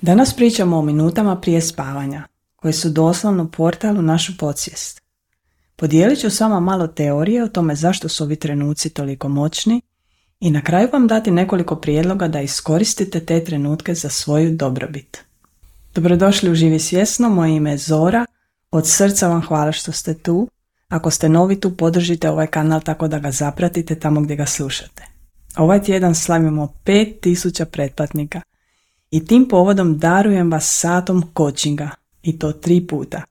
Danas pričamo o minutama prije spavanja, koje su doslovno portal u našu podsvijest. Podijelit ću s vama malo teorije o tome zašto su ovi trenuci toliko moćni i na kraju vam dati nekoliko prijedloga da iskoristite te trenutke za svoju dobrobit. Dobrodošli u Živi svjesno, moje ime je Zora, od srca vam hvala što ste tu. Ako ste novi tu, podržite ovaj kanal tako da ga zapratite tamo gdje ga slušate. Ovaj tjedan slavimo 5000 pretplatnika i tim povodom darujem vas satom coachinga i to 3 puta.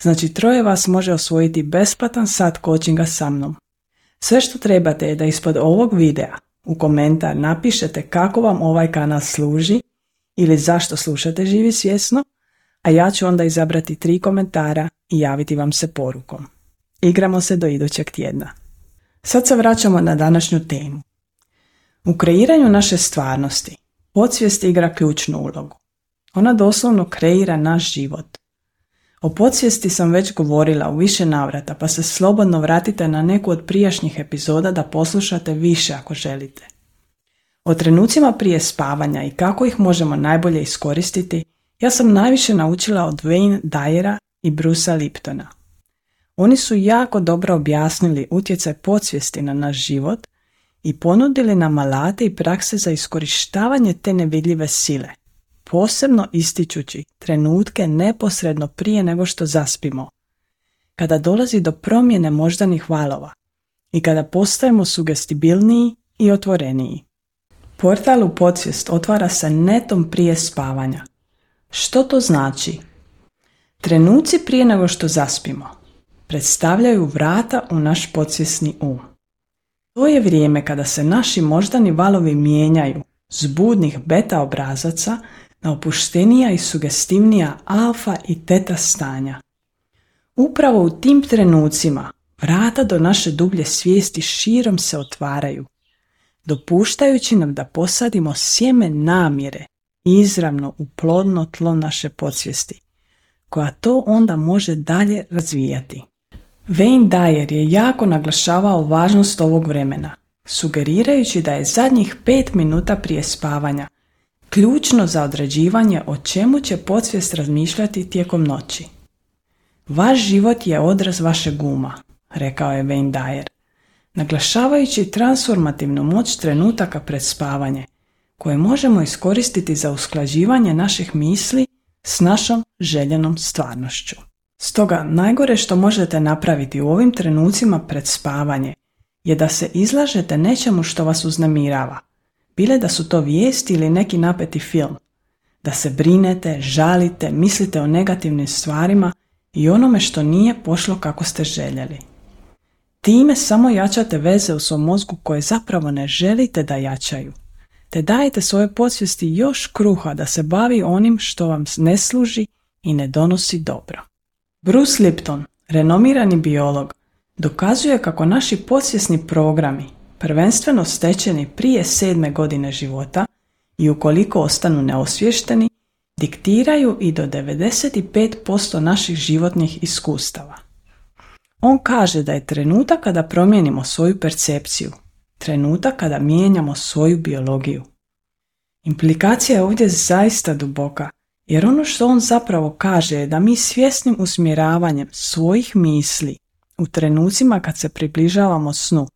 Znači 3 vas može osvojiti besplatan sat coachinga sa mnom. Sve što trebate je da ispod ovog videa u komentar napišete kako vam ovaj kanal služi ili zašto slušate Živi svjesno, a ja ću onda izabrati 3 komentara i javiti vam se porukom. Igramo se do idućeg tjedna. Sad se vraćamo na današnju temu. U kreiranju naše stvarnosti podsvijest igra ključnu ulogu. Ona doslovno kreira naš život. O podsvijesti sam već govorila u više navrata, pa se slobodno vratite na neku od prijašnjih epizoda da poslušate više ako želite. O trenucima prije spavanja i kako ih možemo najbolje iskoristiti, ja sam najviše naučila od Wayne Dyera i Brucea Liptona. Oni su jako dobro objasnili utjecaj podsvijesti na naš život i ponudili nam alate i prakse za iskorištavanje te nevidljive sile, posebno ističući trenutke neposredno prije nego što zaspimo, kada dolazi do promjene moždanih valova i kada postajemo sugestibilniji i otvoreniji. Portal u podsvijest otvara se netom prije spavanja. Što to znači? Trenuci prije nego što zaspimo predstavljaju vrata u naš podsvjesni um. To je vrijeme kada se naši moždani valovi mijenjaju s budnih beta obrazaca na opuštenija i sugestivnija alfa i teta stanja. Upravo u tim trenucima vrata do naše dublje svijesti širom se otvaraju, dopuštajući nam da posadimo sjeme namjere izravno u plodno tlo naše podsvijesti, koja to onda može dalje razvijati. Wayne Dyer je jako naglašavao važnost ovog vremena, sugerirajući da je zadnjih 5 minuta prije spavanja ključno za određivanje o čemu će podsvijest razmišljati tijekom noći. Vaš život je odraz vašeg uma, rekao je Wayne Dyer, naglašavajući transformativnu moć trenutaka pred spavanje, koje možemo iskoristiti za usklađivanje naših misli s našom željenom stvarnošću. Stoga, najgore što možete napraviti u ovim trenucima pred spavanje je da se izlažete nečemu što vas uznemirava, bile da su to vijesti ili neki napeti film, da se brinete, žalite, mislite o negativnim stvarima i onome što nije pošlo kako ste željeli. Time samo jačate veze u svom mozgu koje zapravo ne želite da jačaju, te dajete svojoj podsvijesti još kruha da se bavi onim što vam ne služi i ne donosi dobro. Bruce Lipton, renomirani biolog, dokazuje kako naši podsvjesni programi, prvenstveno stečeni prije 7. godine života i ukoliko ostanu neosviješteni, diktiraju i do 95% naših životnih iskustava. On kaže da je trenutak kada promijenimo svoju percepciju, trenutak kada mijenjamo svoju biologiju. Implikacija je ovdje zaista duboka, jer ono što on zapravo kaže je da mi svjesnim usmjeravanjem svojih misli u trenucima kad se približavamo snu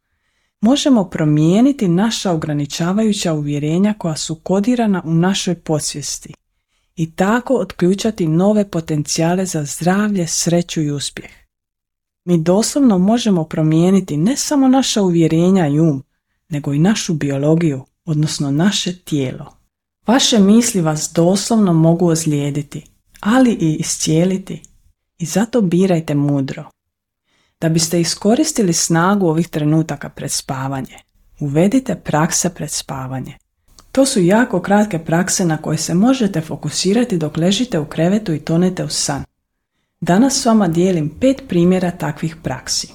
možemo promijeniti naša ograničavajuća uvjerenja koja su kodirana u našoj podsvijesti i tako otključati nove potencijale za zdravlje, sreću i uspjeh. Mi doslovno možemo promijeniti ne samo naša uvjerenja i um, nego i našu biologiju, odnosno naše tijelo. Vaše misli vas doslovno mogu ozlijediti, ali i iscijeliti, i zato birajte mudro. Da biste iskoristili snagu ovih trenutaka pred spavanje, uvedite prakse pred spavanje. To su jako kratke prakse na koje se možete fokusirati dok ležite u krevetu i tonete u san. Danas s vama dijelim 5 primjera takvih praksi.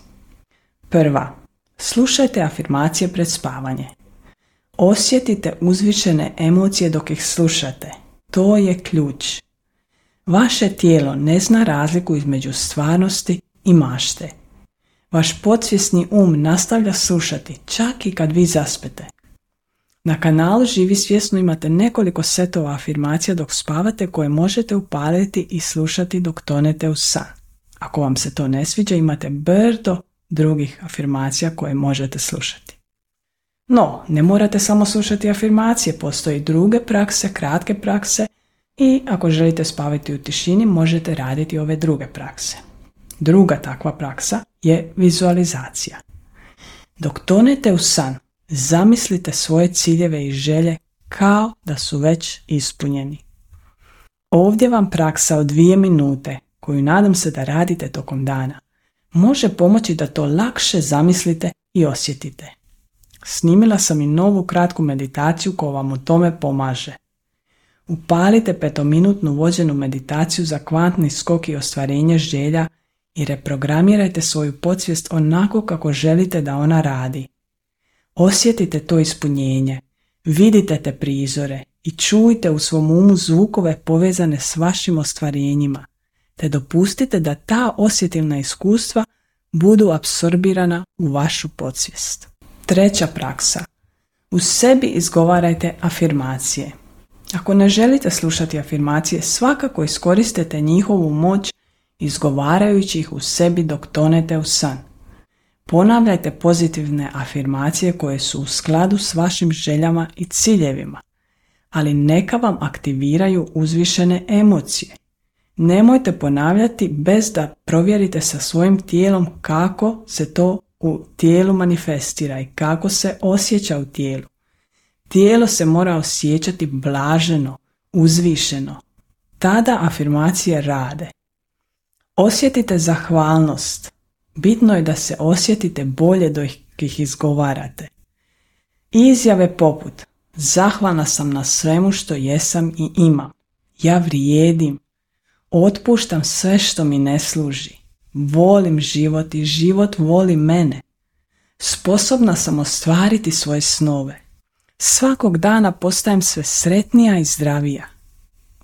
Prva, slušajte afirmacije pred spavanje. Osjetite uzvišene emocije dok ih slušate. To je ključ. Vaše tijelo ne zna razliku između stvarnosti i mašte. Vaš podsvjesni um nastavlja slušati čak i kad vi zaspete. Na kanalu Živi svjesno imate nekoliko setova afirmacija dok spavate koje možete upaliti i slušati dok tonete u san. Ako vam se to ne sviđa, imate brdo drugih afirmacija koje možete slušati. No, ne morate samo slušati afirmacije, postoji druge prakse, kratke prakse i ako želite spavati u tišini, možete raditi ove druge prakse. Druga takva praksa je vizualizacija. Dok tonete u san, zamislite svoje ciljeve i želje kao da su već ispunjeni. Ovdje vam praksa od 2 minute, koju nadam se da radite tokom dana, može pomoći da to lakše zamislite i osjetite. Snimila sam i novu kratku meditaciju koja vam u tome pomaže. Upalite 5-minutnu vođenu meditaciju za kvantni skok i ostvarenje želja i reprogramirajte svoju podsvijest onako kako želite da ona radi. Osjetite to ispunjenje, vidite te prizore i čujte u svom umu zvukove povezane s vašim ostvarenjima, te dopustite da ta osjetilna iskustva budu apsorbirana u vašu podsvijest. Treća praksa. U sebi izgovarajte afirmacije. Ako ne želite slušati afirmacije, svakako iskoristite njihovu moć izgovarajući ih u sebi dok tonete u san. Ponavljajte pozitivne afirmacije koje su u skladu s vašim željama i ciljevima, ali neka vam aktiviraju uzvišene emocije. Nemojte ponavljati bez da provjerite sa svojim tijelom kako se to u tijelu manifestira i kako se osjeća u tijelu. Tijelo se mora osjećati blaženo, uzvišeno. Tada afirmacije rade. Osjetite zahvalnost. Bitno je da se osjetite bolje dok ih izgovarate. Izjave poput: zahvalna sam na svemu što jesam i imam. Ja vrijedim. Otpuštam sve što mi ne služi. Volim život i život voli mene. Sposobna sam ostvariti svoje snove. Svakog dana postajem sve sretnija i zdravija.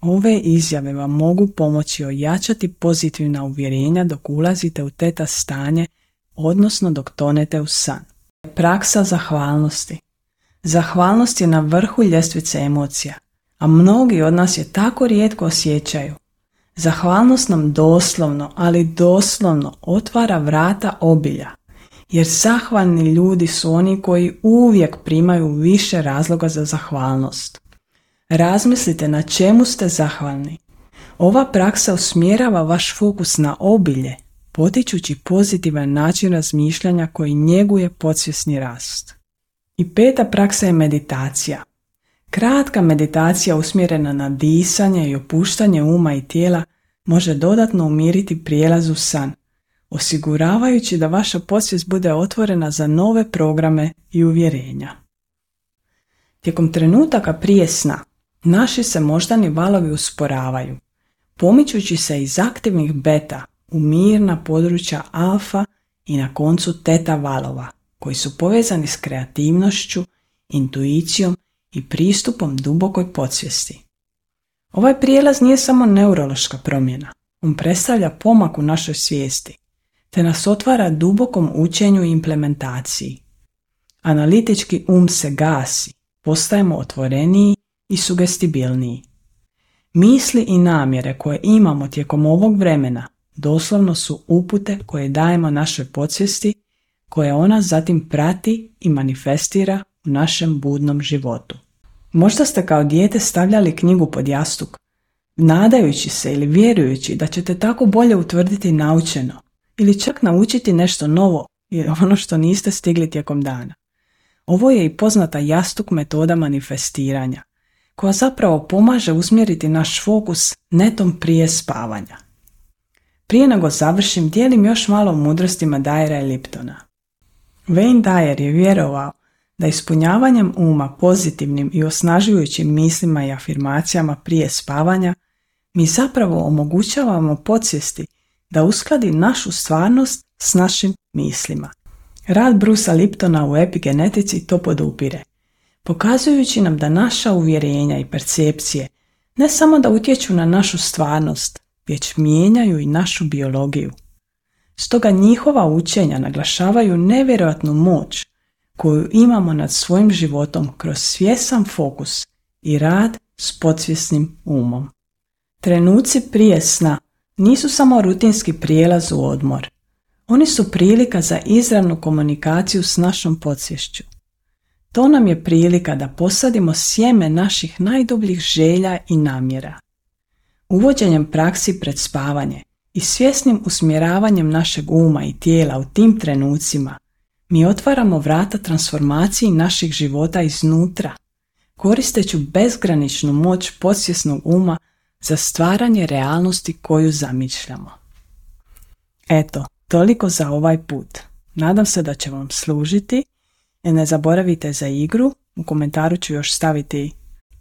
Ove izjave vam mogu pomoći ojačati pozitivna uvjerenja dok ulazite u teta stanje, odnosno dok tonete u san. Praksa zahvalnosti. Zahvalnost je na vrhu ljestvice emocija, a mnogi od nas je tako rijetko osjećaju. Zahvalnost nam doslovno, ali doslovno otvara vrata obilja, jer zahvalni ljudi su oni koji uvijek primaju više razloga za zahvalnost. Razmislite na čemu ste zahvalni. Ova praksa usmjerava vaš fokus na obilje, potičući pozitivan način razmišljanja koji njeguje podsvjesni rast. I 5. praksa je meditacija. Kratka meditacija usmjerena na disanje i opuštanje uma i tijela može dodatno umiriti prijelaz u san, osiguravajući da vaša podsvijest bude otvorena za nove programe i uvjerenja. Tijekom trenutaka prije sna, naši se moždani valovi usporavaju, pomičući se iz aktivnih beta u mirna područja alfa i na koncu teta valova, koji su povezani s kreativnošću, intuicijom i pristupom dubokoj podsvijesti. Ovaj prijelaz nije samo neurološka promjena, on predstavlja pomak u našoj svijesti, te nas otvara dubokom učenju i implementaciji. Analitički um se gasi, postajemo otvoreniji i sugestibilniji. Misli i namjere koje imamo tijekom ovog vremena doslovno su upute koje dajemo našoj podsvijesti, koje ona zatim prati i manifestira u našem budnom životu. Možda ste kao dijete stavljali knjigu pod jastuk, nadajući se ili vjerujući da ćete tako bolje utvrditi naučeno ili čak naučiti nešto novo ili ono što niste stigli tijekom dana. Ovo je i poznata jastuk metoda manifestiranja, koja zapravo pomaže usmjeriti naš fokus netom prije spavanja. Prije nego završim, dijelim još malo o mudrostima Dyera i Liptona. Wayne Dyer je vjerovao da ispunjavanjem uma pozitivnim i osnažujućim mislima i afirmacijama prije spavanja mi zapravo omogućavamo podsvijesti da uskladi našu stvarnost s našim mislima. Rad Brucea Liptona u epigenetici to podupire, pokazujući nam da naša uvjerenja i percepcije ne samo da utječu na našu stvarnost, već mijenjaju i našu biologiju. Stoga njihova učenja naglašavaju nevjerojatnu moć koju imamo nad svojim životom kroz svjestan fokus i rad s podsvjesnim umom. Trenuci prije sna nisu samo rutinski prijelaz u odmor. Oni su prilika za izravnu komunikaciju s našom podsvješću. To nam je prilika da posadimo sjeme naših najdubljih želja i namjera. Uvođenjem praksi pred spavanje i svjesnim usmjeravanjem našeg uma i tijela u tim trenucima, mi otvaramo vrata transformaciji naših života iznutra, koristeći bezgraničnu moć podsvjesnog uma za stvaranje realnosti koju zamišljamo. Eto, toliko za ovaj put. Nadam se da će vam služiti. Ne zaboravite za igru. U komentaru ću još staviti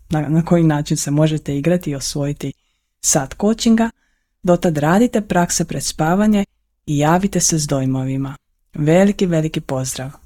na koji način se možete igrati i osvojiti sat coachinga. Dotad radite prakse pred spavanje i javite se s dojmovima. Veliki, veliki pozdrav!